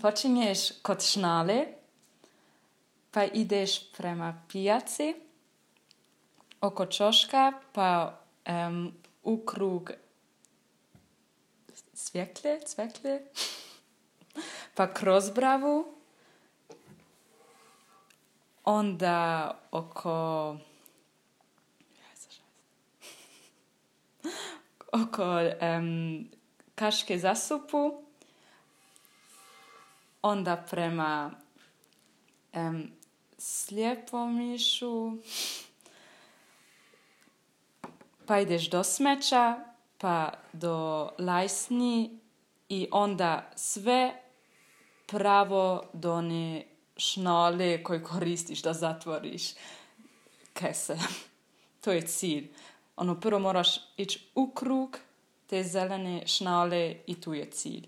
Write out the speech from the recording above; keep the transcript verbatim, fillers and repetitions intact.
počinješ kod šnale, pa ideš prema pijaci, oko čoška, pa um, u krug cvjeklje, cvjeklje, pa kroz bravu, onda oko oko um, kaške zasupu, onda prema um, Slijepomišu, pa ideš do smeća, pa do Lajsni i onda sve pravo do one šnale koju koristiš da zatvoriš kese. To je cilj. Ono, prvo moraš ići u krug te zelene šnale i tu je cilj.